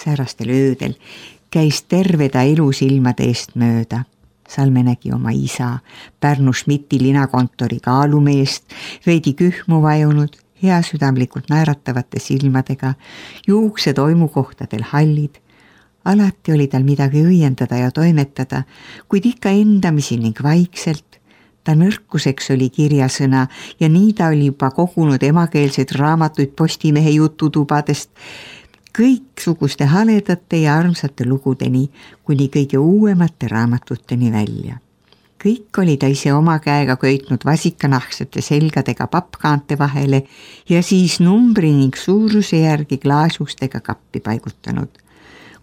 Säärastel öödel käis terve ta elu silmade eest mööda. Salme nägi oma isa, Pärnu Schmidti linakontori kaalumeest, veidi kühmu vajunud, heasüdamlikult naeratavate silmadega, juukse toimukohtadel hallid. Alati oli tal midagi õiendada ja toimetada, kuid ikka endamisi ning vaikselt. Ta nõrkuseks oli kirjasõna ja nii ta oli juba kogunud emakeelseid raamatuid Postimehe jututubadest, kõiksuguste haledate ja armsate lugudeni, kuni kõige uuemate raamatuteni välja. Kõik oli ta ise oma käega köitnud vasikanahksete selgadega pappkaante vahele ja siis numbri ning suuruse järgi klaasustega kappi paigutanud.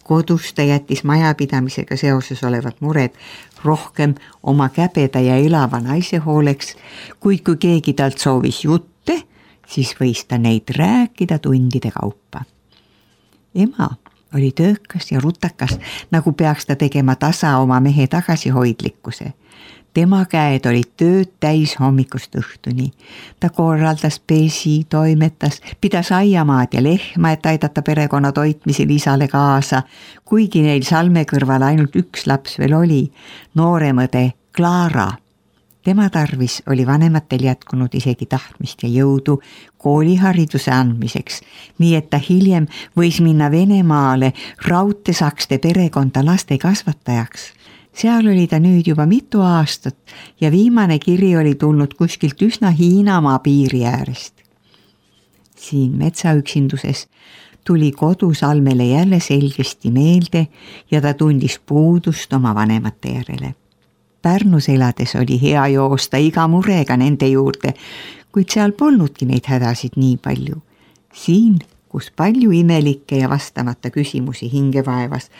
Kodus ta jättis majapidamisega seoses olevad mured rohkem oma käbeda ja elava naise hooleks, kuid kui keegi talt soovis jutte, siis võis ta neid rääkida tundide kaupa. Ema oli töökas ja rutakas, nagu peaks ta tegema tasa oma mehe tagasihoidlikkuse. Tema käed olid tööd täis hommikust õhtuni. Ta korraldas, pesi, toimetas, pidas aiamaad ja lehma, et aidata perekonna toitmisel isale kaasa, kuigi neil Salme kõrval ainult üks laps veel oli, nooremõde Klaara. Tema tarvis oli vanematel jätkunud isegi tahtmist ja jõudu koolihariduse andmiseks, nii et ta hiljem võis minna Venemaale raudtesakste perekonda laste kasvatajaks. Seal oli ta nüüd juba mitu aastat ja viimane kiri oli tulnud kuskilt üsna Hiinamaa piiri äärest. Siin metsaüksinduses tuli kodu Salmele jälle selgesti meelde ja ta tundis puudust oma vanemate järele. Pärnus elades oli hea joosta iga murega nende juurde, kuid seal polnudki neid hädasid nii palju. Siin, kus palju imelikke ja vastamata küsimusi hinge vaevas,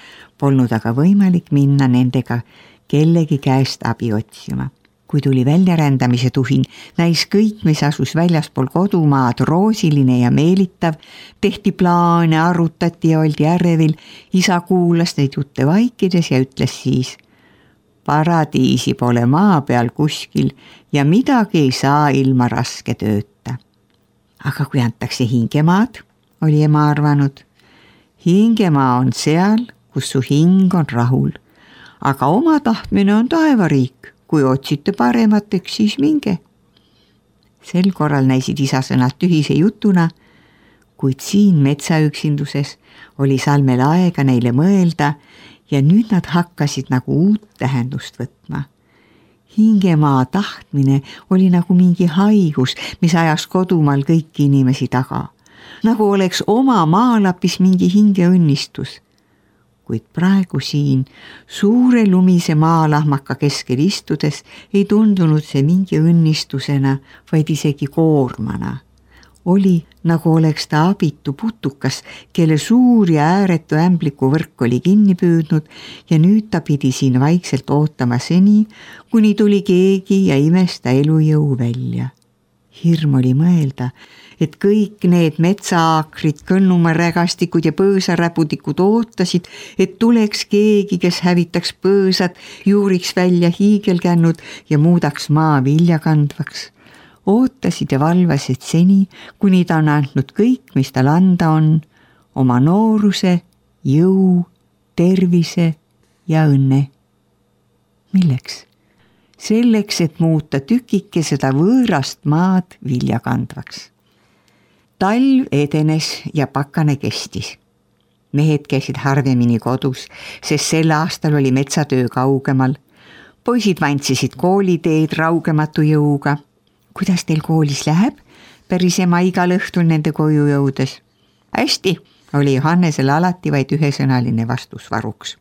polnud aga võimalik minna nendega kellegi käest abi otsima. Kui tuli väljarändamise tuhin, näis kõik, mis asus väljaspool kodumaad, roosiline ja meelitav, tehti plaane, arutati ja oldi ärevil, isa kuulas neid jutte vaikides ja ütles siis: paradiisi pole maa peal kuskil ja midagi ei saa ilma raske tööta. Aga kui antakse hingemaad, oli ema arvanud, hingemaa on seal, kus su hing on rahul, aga oma tahtmine on taevariik, kui otsite paremateks, siis minge. Sel korral näisid isa sõnad tühise jutuna, kuid siin metsaüksinduses oli Salmel aega neile mõelda ja nüüd nad hakkasid nagu uut tähendust võtma. Hingemaa tahtmine oli nagu mingi haigus, mis ajas kodumaal kõiki inimesi taga. Nagu oleks oma maalapis mingi hingeõnnistus. Kuid praegu siin suure lumise maalahmaka keskel istudes ei tundunud see mingi õnnistusena, vaid isegi koormana. Oli, nagu oleks ta abitu putukas, kelle suur ja ääretu ämbliku võrk oli kinni püüdnud ja nüüd ta pidi siin vaikselt ootama seni, kuni tuli keegi ja imesta elujõu välja. Hirm oli mõelda, et kõik need metsaakrid, kõnnumarägastikud ja põõsaräpudikud ootasid, et tuleks keegi, kes hävitaks põõsad, juuriks välja hiigelkännud ja muudaks maa viljakandvaks. Ootasid ja valvasid seni, kuni ta on andnud kõik, mis tal anda on, oma nooruse, jõu, tervise ja õnne. Milleks? Selleks, et muuta tükike seda võõrast maad viljakandvaks. Talv edenes ja pakane kestis. Mehed käisid harvemini kodus, sest sel aastal oli metsatöö kaugemal. Poisid vantsisid kooliteed raugematu jõuga. Kuidas teil koolis läheb? Päris ema igal õhtul nende koju jõudes. Hästi, oli Johannesel alati vaid ühesõnaline vastus varuks.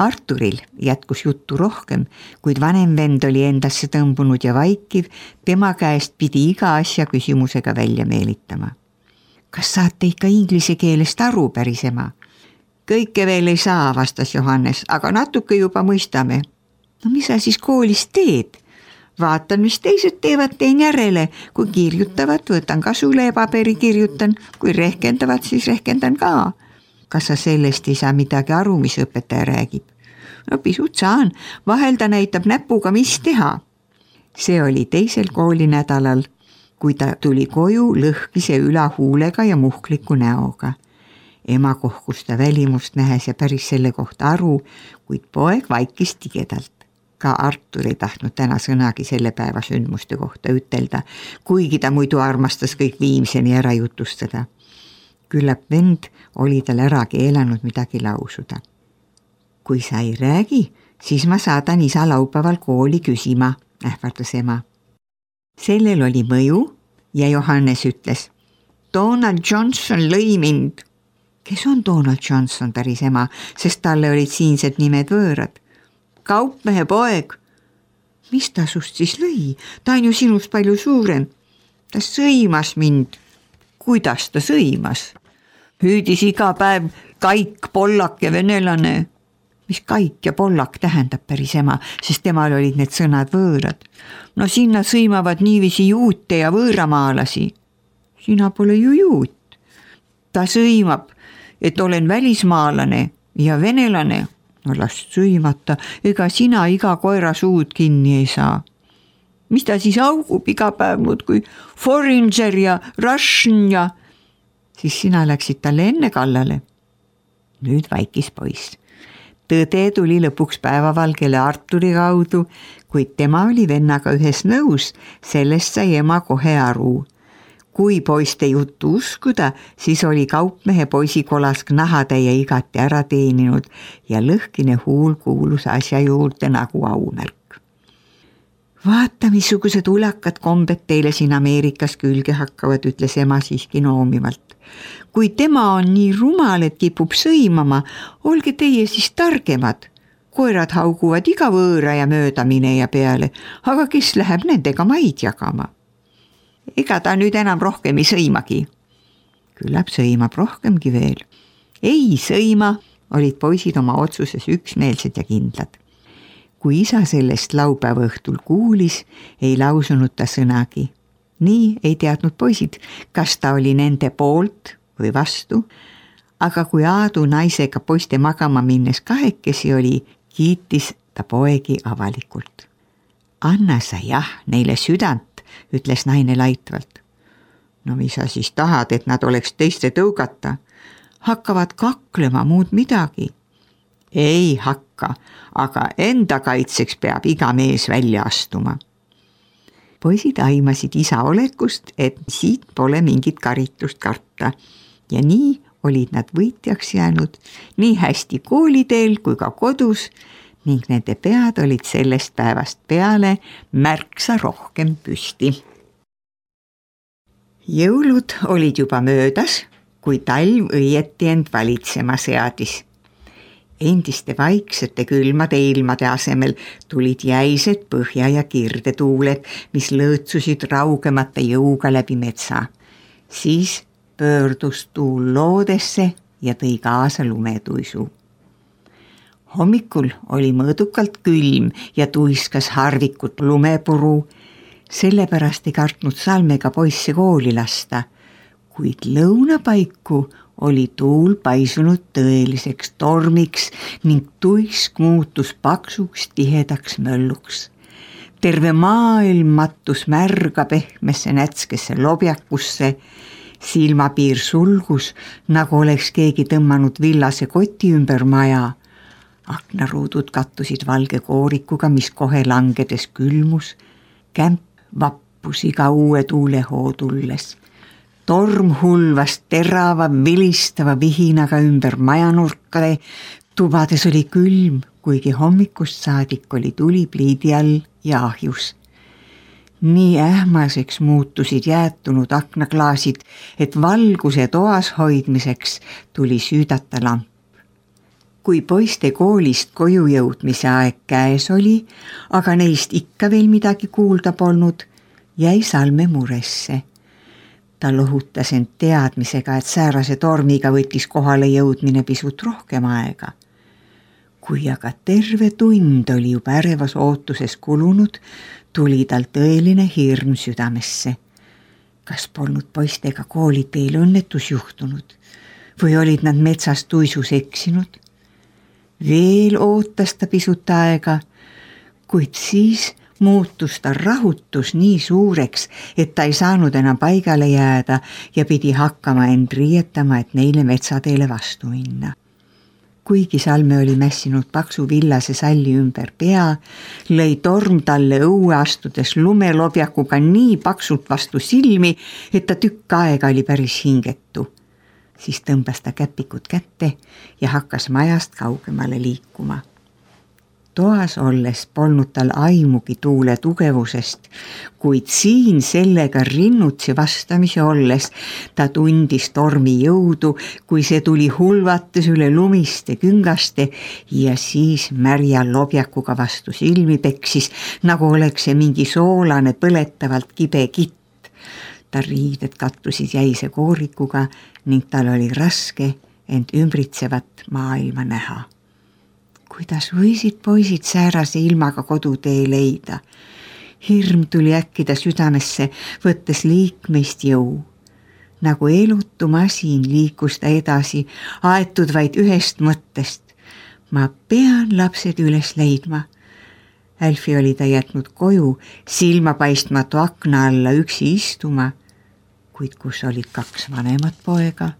Arturil jätkus juttu rohkem, kuid vanem vend oli endasse tõmbunud ja vaikiv, tema käest pidi iga asja küsimusega välja meelitama. Kas saate ikka inglise keelest aru, päris ema? Kõike veel ei saa, vastas Johannes, aga natuke juba mõistame. No mis sa siis koolis teed? Vaatan, mis teised teevad, teen järele. Kui kirjutavad, võtan kasule ja paberi kirjutan. Kui rehkendavad, siis rehkendan ka. Kas sa sellest ei saa midagi aru, mis õpetaja räägib? No pisut saan. Vahel ta näitab näpuga, mis teha. See oli teisel koolinädalal, kui ta tuli koju lõhkise ülahuulega ja muhkliku näoga. Ema kohkus ta välimust nähes ja päris selle kohta aru, kuid poeg vaikis tigedalt. Ka Artur ei tahtnud täna sõnagi selle päeva sündmuste kohta ütelda, kuigi ta muidu armastas kõik viimseni ära jutustada. Küllap vend oli tal ära keelanud midagi lausuda. Kui sa ei räägi, siis ma saadan isa laupäeval kooli küsima, ähvardas ema. Sellel oli mõju ja Johannes ütles, Donald Johnson lõi mind. Kes on Donald Johnson, päris ema, sest talle olid siinsed nimed võõrad. Kaupmehe poeg. Mis ta sust siis lõi? Ta on ju sinust palju suurem. Ta sõimas mind. Kuidas ta sõimas? Hüüdis iga päev Kaik, Pollak ja venelane. Mis Kaik ja Pollak tähendab, päris ema, sest temal olid need sõnad võõrad. No sinna sõimavad niiviisi juute ja võõramaalasi. Sina pole ju juut. Ta sõimab, et olen välismaalane ja venelane. No las sõimata, ega sina iga koera suud kinni ei saa. Mis ta siis augub iga päev muud kui Foringer ja Russian ja... Siis sina läksid talle enne kallale. Nüüd vaikis poiss. Tõde tuli lõpuks päevavalgele Arturi kaudu, kuid tema oli vennaga ühes nõus, sellest sai ema kohe aru. Kui poiste juttu uskuda, siis oli kaupmehe poisikolask nahatäie igati ära teeninud ja lõhkine huul kuulus asja juurde nagu aumärk. Vaata, missugused ulakad kombed teile siin Ameerikas külge hakkavad, ütles ema siiski noomivalt. Kui tema on nii rumal, et kipub sõimama, olge teie siis targemad. Koerad hauguvad iga võõra ja möödamineja peale, aga kes läheb nendega maid jagama? Ega ta nüüd enam rohkem ei sõimagi. Küllap sõimab rohkemgi veel. Ei sõima, olid poisid oma otsuses üksmeelsed ja kindlad. Kui isa sellest laupäeva õhtul kuulis, ei lausunud ta sõnagi. Nii ei teadnud poisid, kas ta oli nende poolt või vastu, aga kui Aadu naisega poiste magama minnes kahekesi oli, kiitis ta poegi avalikult. Anna sa jah neile südant, ütles naine laitvalt. No mis sa siis tahad, et nad oleks teiste tõugata? Hakkavad kaklema muud midagi. Ei hakka, aga enda kaitseks peab iga mees välja astuma. Poisid aimasid isa olekust, et siit pole mingit karitust karta ja nii olid nad võitjaks jäänud nii hästi kooliteel kui ka kodus ning nende pead olid sellest päevast peale märksa rohkem püsti. Jõulud olid juba möödas, kui talv õieti end valitsema seadis. Endiste vaiksete külmade ilmade asemel tulid jäised põhja- ja kirdetuuled, mis lõõtsusid raugemata jõuga läbi metsa. Siis pöördus tuul loodesse ja tõi kaasa lumetuisu. Hommikul oli mõõdukalt külm ja tuiskas harvikut lumepuru, sellepärast ei kartnud Salmega poisse kooli lasta, kuid lõunapaiku oli tuul paisunud tõeliseks tormiks ning tuisk muutus paksuks tihedaks mölluks. Terve maailm mattus märga pehmesse nätskesse lobjakusse, silmapiir sulgus, nagu oleks keegi tõmmanud villase koti ümber maja. Aknaruudud kattusid valge koorikuga, mis kohe langedes külmus. Kämp vappus iga uue tuulehoo tulles. Torm hulvas terava, vilistava vihinaga ümber majanurkade. Tubades oli külm, kuigi hommikust saadik oli tuli pliidi all ja ahjus. Nii ähmaseks muutusid jäätunud aknaklaasid, et valguse toas hoidmiseks tuli süüdata lamp. Kui poiste koolist koju jõudmise aeg käes oli, aga neist ikka veel midagi kuulda polnud, jäi Salme muresse. Ta lohutas end teadmisega, et säärase tormiga võttis kohale jõudmine pisut rohkem aega. Kui aga terve tund oli juba ärevas ootuses kulunud, tuli tal tõeline hirm südamesse. Kas polnud poistega kooliteel õnnetus juhtunud või olid nad metsas tuisus eksinud? Veel ootas ta pisut aega, kuid siis muutus ta rahutus nii suureks, et ta ei saanud enam paigale jääda ja pidi hakkama end riietama, et neile metsateele vastu minna. Kuigi Salme oli mässinud paksu villase salli ümber pea, lõi torm talle õue astudes lumelobjakuga nii paksult vastu silmi, et ta tükk aega oli päris hingetu. Siis tõmbas ta käpikud kätte ja hakkas majast kaugemale liikuma. Toas olles polnud tal aimugi tuule tugevusest, kuid siin sellega rinnutsi vastamisi olles ta tundis tormi jõudu, kui see tuli hulvates üle lumiste küngaste ja siis märja lobjakuga vastu silmi peksis, nagu oleks see mingi soolane põletavalt kibe kitt. Ta riided kattusid jäise koorikuga ning tal oli raske end ümbritsevat maailma näha. Kuidas võisid poisid säärase ilmaga kodutee leida? Hirm tuli äkkida südamesse, võttes liikmeist jõu. Nagu elutu masin liikus ta edasi, aetud vaid ühest mõttest. Ma pean lapsed üles leidma. Älfi oli ta jätnud koju, silma paistmatu akna alla üksi istuma, kuid kus olid 2 vanemat poega.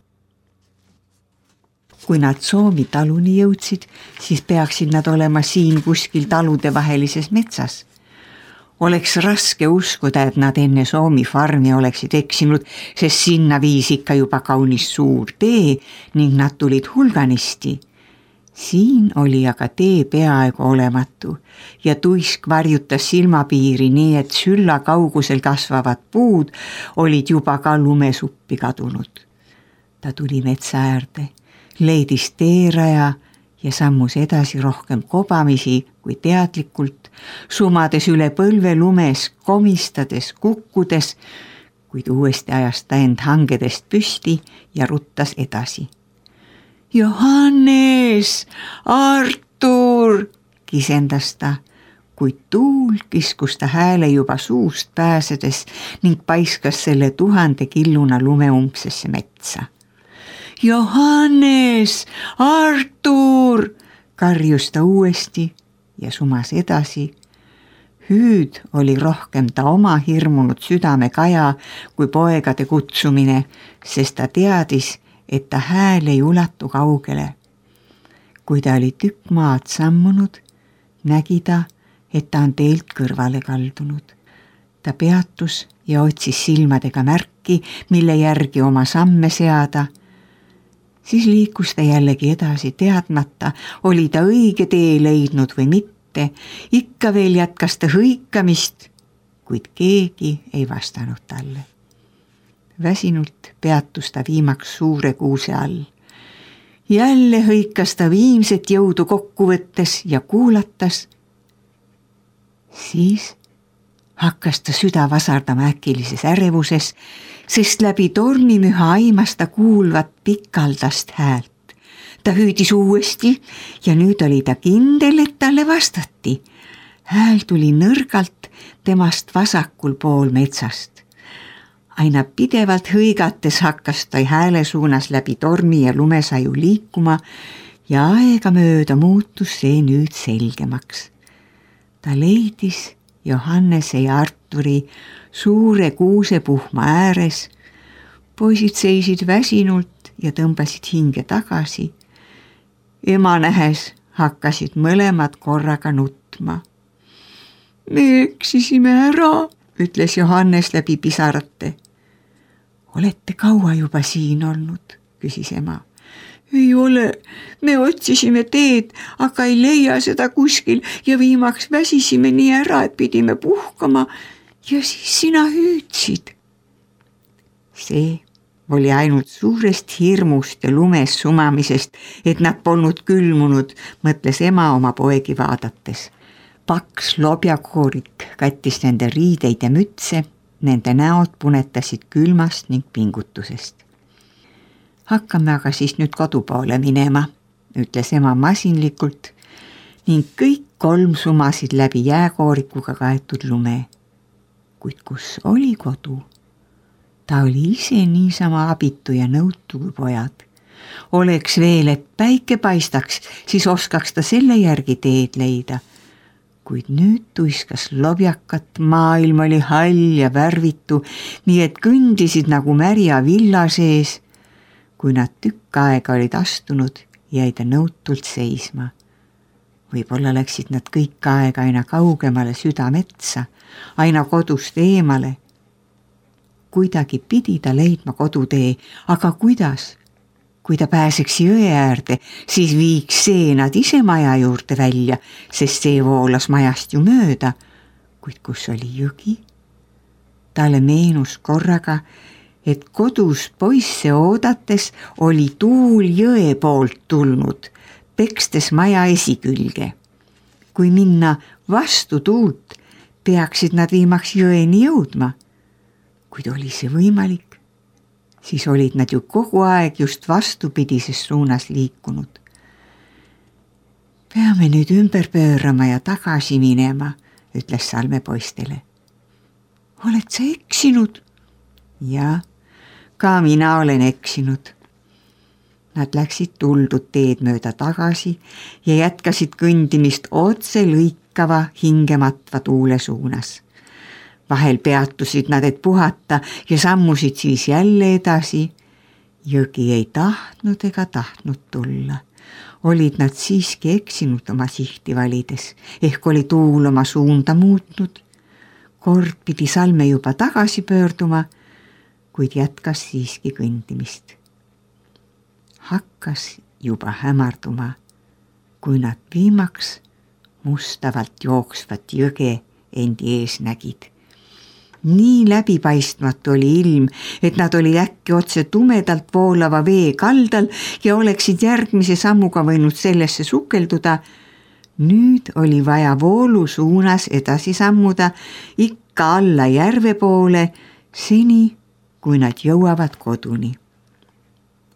Kui nad Soomi taluni jõudsid, siis peaksid nad olema siin kuskil talude vahelises metsas. Oleks raske uskuda, et nad enne Soomi farmi oleksid eksinud, sest sinna viis ikka juba kaunis suur tee ning nad tulid hulganisti. Siin oli aga tee peaaegu olematu ja tuisk varjutas silmapiiri nii, et sülla kaugusel kasvavad puud olid juba ka lumesuppi kadunud. Ta tuli metsa äärde. Leidis teeraja ja sammus edasi rohkem kobamisi kui teadlikult, sumades üle põlve lumes, komistades, kukkudes, kuid uuesti ajas ta end hangedest püsti ja ruttas edasi. Johannes, Artur, kisendas ta, kuid tuul kiskus ta hääle juba suust pääsedes ning paiskas selle 1000 killuna lumeumpsesse metsa. Johannes, Artur, karjus ta uuesti ja sumas edasi. Hüüd oli rohkem ta oma hirmunud südame kaja kui poegade kutsumine, sest ta teadis, et ta hääl ei ulatu kaugele. Kui ta oli tükk maad sammunud, nägi ta, et ta on teelt kõrvale kaldunud. Ta peatus ja otsis silmadega märki, mille järgi oma samme seada. Siis liikus ta jällegi edasi teadmata, oli ta õige tee leidnud või mitte, ikka veel jätkas ta hõikamist, kuid keegi ei vastanud talle. Väsinult peatus ta viimaks suure kuuse all. Jälle hõikas ta viimset jõudu kokku võttes ja kuulatas. Siis hakkas ta süda vasardama äkilises ärevuses, sest läbi tormimüha aimas ta kuulvat pikaldast häält. Ta hüüdis uuesti ja nüüd oli ta kindel, et talle vastati. Hääl tuli nõrgalt temast vasakul pool metsast. Aina pidevalt hõigates hakkas ta hääle suunas läbi tormi ja lumesaju liikuma ja aega mööda muutus see nüüd selgemaks. Ta leidis Johannese ja Arturi suure kuusepuhma ääres. Poisid seisid väsinult ja tõmbasid hinge tagasi. Ema nähes hakkasid mõlemad korraga nutma. Me eksisime ära, ütles Johannes läbi pisarate. Olete kaua juba siin olnud, küsis ema. Ei ole, me otsisime teed, aga ei leia seda kuskil ja viimaks väsisime nii ära, et pidime puhkama ja siis sina hüüdsid. See oli ainult suurest hirmust ja lumes sumamisest, et nad polnud külmunud, mõtles ema oma poegi vaadates. Paks lobjakoorik kattis nende riideid ja mütse, nende näod punetasid külmast ning pingutusest. Hakkame aga siis nüüd kodupoole minema, ütles ema masinlikult ning kõik 3 sumasid läbi jääkoorikuga kaetud lume. Kuid kus oli kodu? Ta oli ise niisama abitu ja nõutu kui pojad. Oleks veel, et päike paistaks, siis oskaks ta selle järgi teed leida. kuid nüüd tuiskas lobjakat, maailm oli hall ja värvitu, nii et kõndisid nagu märja villa sees. Kui nad tükk aega olid astunud, jäi ta nõutult seisma. Võib-olla läksid nad kõik aega aina kaugemale südametsa, aina kodust eemale. Kuidagi pidi ta leidma kodutee, aga kuidas? Kui ta pääseks jõe äärde, siis viiks see nad ise maja juurde välja, sest see voolas majast ju mööda. Kuid kus oli jõgi? Talle meenus korraga, et kodus poisse oodates oli tuul jõe poolt tulnud, pekstes maja esikülge. Kui minna vastu tuult, peaksid nad viimaks jõeni jõudma. Kuid oli see võimalik? Siis olid nad ju kogu aeg just vastupidises suunas liikunud. Peame nüüd ümber pöörama ja tagasi minema, ütles Salme poistele. Oled sa eksinud? Ja, ka mina olen eksinud. Nad läksid tuldud teed mööda tagasi ja jätkasid kõndimist otse lõikava hingematva tuule suunas. Vahel peatusid nad, et puhata ja sammusid siis jälle edasi. Jõgi ei tahtnud ega tahtnud tulla. Olid nad siiski eksinud oma sihti valides, ehk oli tuul oma suunda muutnud. Kord pidi Salme juba tagasi pöörduma, kuid jätkas siiski kõndimist. Hakkas juba hämarduma, kui nad viimaks mustavalt jooksvat jõge endi ees nägid. Nii läbipaistmatu oli ilm, et nad olid äkki otse tumedalt voolava vee kaldal ja oleksid järgmise sammuga võinud sellesse sukelduda. Nüüd oli vaja voolu suunas edasi sammuda ikka alla järve poole, seni kui nad jõuavad koduni.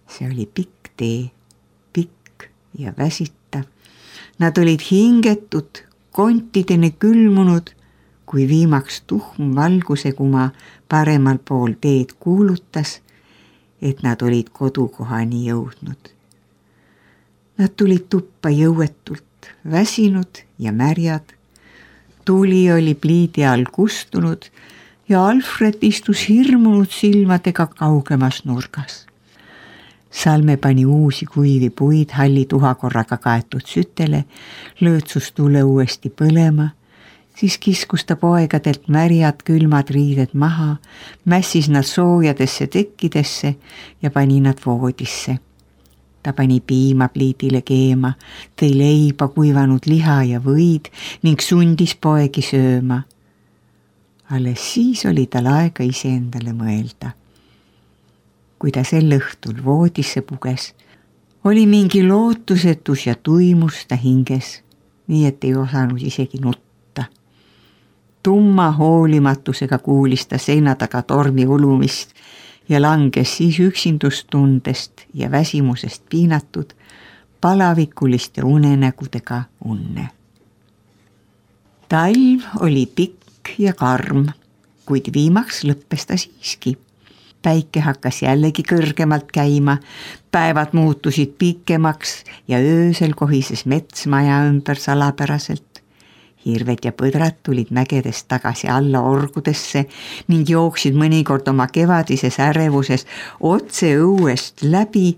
See oli pikk tee, pikk ja väsitav. Nad olid hingetud, kontideni külmunud, kui viimaks tuhm valguse kuma paremal pool teed kuulutas, et nad olid kodukohani jõudnud. Nad tulid tuppa jõuetult, väsinud ja märjad. Tuli oli pliidi all kustunud ja Alfred istus hirmunud silmadega kaugemas nurgas. Salme pani uusi kuivi puid halli tuhakorraga kaetud sütele, lõõtsus tule uuesti põlema, siis kiskus ta poegadelt märjad külmad riided maha, mässis nad soojadesse tekkidesse ja pani nad voodisse. Ta pani piima pliidile keema, tõi leiba, kuivanud liha ja võid ning sundis poegi sööma. Alles siis oli tal aega iseendale mõelda. Kui ta sel õhtul voodisse puges, oli mingi lootusetus ja tuimus ta hinges, nii et ei osanud isegi nutta. Tumma hoolimatusega kuulis ta seina taga tormi ulumist ja langes siis üksindustundest ja väsimusest piinatud palavikuliste unenägudega unne. Talv oli pikk ja karm, kuid viimaks lõppes ta siiski. Päike hakkas jällegi kõrgemalt käima, päevad muutusid pikemaks ja öösel kohises mets maja ümber salapäraselt. Hirved ja põdrad tulid mägedest tagasi alla orgudesse ning jooksid mõnikord oma kevadises ärevuses otse õuest läbi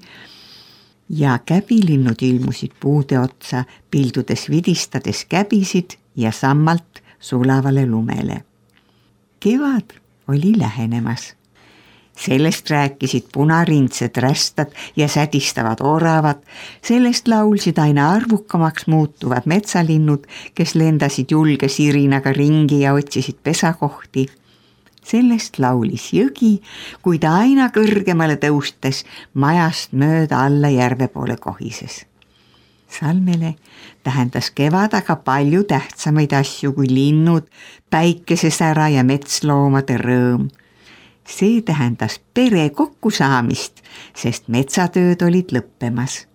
ja käbilinnud ilmusid puude otsa, pildudes vidistades käbisid ja sammalt sulavale lumele. Kevad oli lähenemas. Sellest rääkisid punarindsed rästad ja sädistavad oravad, sellest laulsid aina arvukamaks muutuvad metsalinnud, kes lendasid julge sirinaga ringi ja otsisid pesakohti. Sellest laulis jõgi, kui ta aina kõrgemale tõustes majast mööda alla järve poole kohises. Salmele tähendas kevad aga palju tähtsamaid asju kui linnud, päikesesära ja metsloomade rõõm. See tähendas pere kokkusaamist, sest metsatööd olid lõppemas.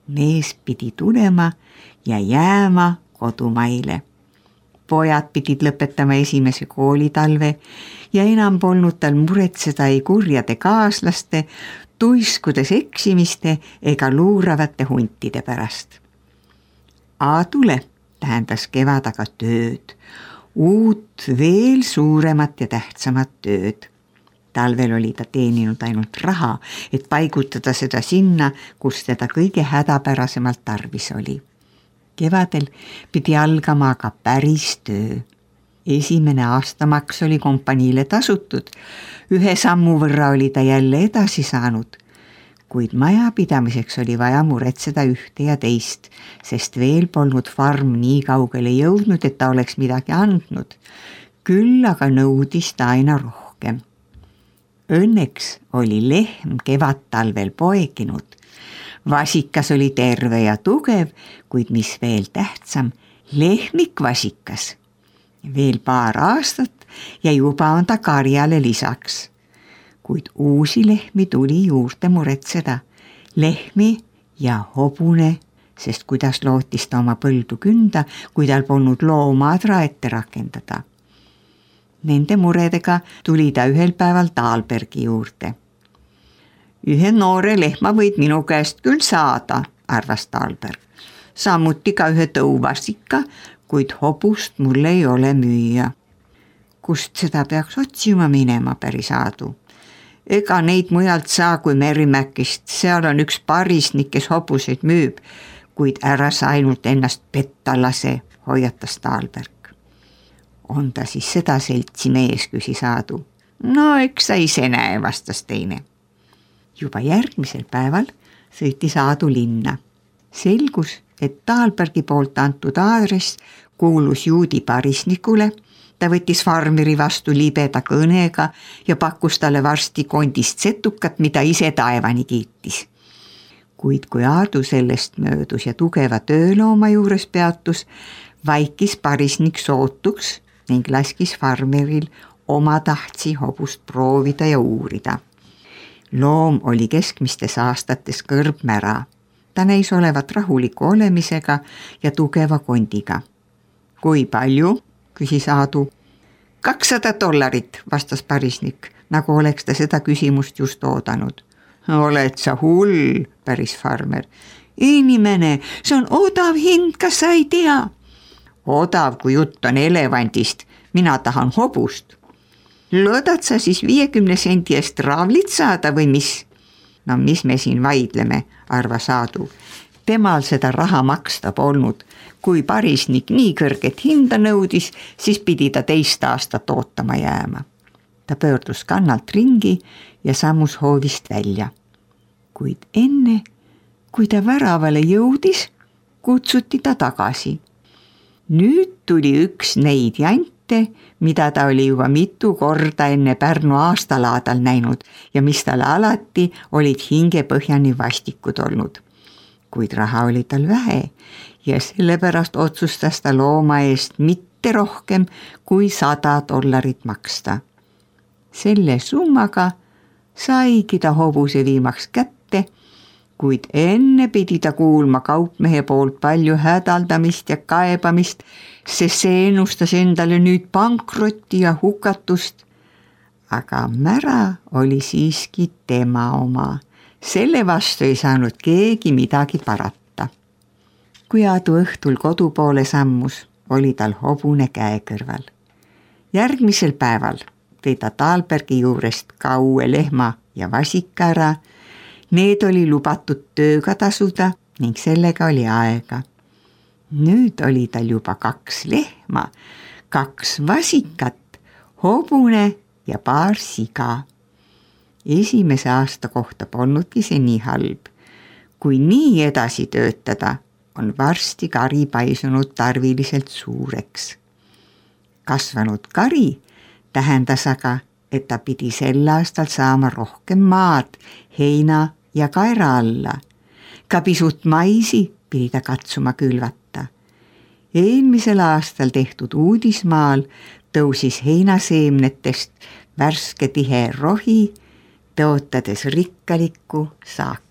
Mees pidi tulema ja jääma kodumaile. Pojad pidid lõpetama esimese koolitalve ja enam polnud tal muretseda ei kurjade kaaslaste, tuiskudes eksimiste ega luuravate huntide pärast. Tule, tähendas kevad aga tööd, uut, veel suuremat ja tähtsamat tööd. Talvel oli ta teeninud ainult raha, et paigutada seda sinna, kus teda kõige hädapärasemalt tarvis oli. Kevadel pidi algama aga päris töö. Esimene aastamaks oli kompaniile tasutud, 1 sammu võrra oli ta jälle edasi saanud, kuid majapidamiseks oli vaja muretseda ühte ja teist, sest veel polnud farm nii kaugele jõudnud, et ta oleks midagi andnud. Küll aga nõudis ta aina rohkem. Õnneks oli lehm kevad-talvel poeginud. Vasikas oli terve ja tugev, kuid mis veel tähtsam, lehmik vasikas. Veel paar aastat ja juba on ta karjale lisaks. Kuid uusi lehmi tuli juurde muretseda. Lehmi ja hobune, sest kuidas lootis ta oma põldu künda, kui tal polnud loomaadra ette rakendada. Nende muredega tuli ta ühel päeval Dahlbergi juurde. Ühe noore lehma võid minu käest küll saada, arvas Dahlberg. Samuti ka ühe tõuvasika, kuid hobust mul ei ole müüa. Kust seda peaks otsima minema, päris Aadu? Ega neid mujalt saa kui Merimäkist, seal on üks parisnik, kes hobuseid müüb, kuid ära sa ainult ennast petta lase, hoiatas Dahlberg. On ta siis seda seltsi mees, küsis Aadu. No eks sa ise näe, vastas teine. Juba järgmisel päeval sõitis Aadu linna. Selgus, et Dahlbergi poolt antud aadress kuulus juudi parisnikule. Ta võttis farmeri vastu libeda kõnega ja pakkus talle varsti kondist setukat, mida ise taevani kiitis. Kuid kui Aadu sellest möödus ja tugeva töölooma juures peatus, vaikis parisnik sootuks ning laskis farmeril oma tahtsi hobust proovida ja uurida. Loom oli keskmistes aastates kõrbmära. Ta näis olevat rahuliku olemisega ja tugeva kondiga. Kui palju? Küsis Aadu. $200, vastas parisnik, nagu oleks ta seda küsimust just oodanud. Oled sa hull, päris farmer. Inimene, see on odav hind, kas sa ei tea? Odav, kui jutt on elevandist, mina tahan hobust. Loodad sa siis 50 sendi eest raavlit saada või mis? No mis me siin vaidleme, arvas Aadu. Temal seda raha maksta polnud. Kui parisnik nii kõrget hinda nõudis, siis pidi ta 2 aastat ootama jääma. Ta pöördus kannalt ringi ja sammus hoovist välja. Kuid enne, kui ta väravale jõudis, kutsuti ta tagasi. Nüüd tuli üks neid jante, mida ta oli juba mitu korda enne Pärnu aastalaadal näinud ja mis talle alati olid hingepõhjani vastikud olnud. Kuid raha oli tal vähe ja sellepärast otsustas ta looma eest mitte rohkem kui $100 maksta. Selle summaga saigi ta hobuse viimaks kätte, kuid enne pidi ta kuulma kaupmehe poolt palju hädaldamist ja kaebamist, sest see ennustas endale nüüd pankrotti ja hukatust. Aga mära oli siiski tema oma. Selle vastu ei saanud keegi midagi parata. Kui Aadu õhtul kodu poole sammus, oli tal hobune käe kõrval. Järgmisel päeval tõi ta Dahlbergi juurest ka uue lehma ja vasika ära. Need oli lubatud tööga tasuda ning sellega oli aega. Nüüd oli tal juba 2 lehma, 2 vasikat, hobune ja paar siga. Esimese aasta kohta polnudki see nii halb. Kui nii edasi töötada, on varsti kari paisunud tarviliselt suureks. Kasvanud kari tähendas aga, et ta pidi sel aastal saama rohkem maad, heina ja kaera alla. Ka pisut maisi pidi ta katsuma külvata. Eelmisel aastal tehtud uudismaal tõusis heinaseemnetest värske tihe rohi, tõotades rikkalikku saaki.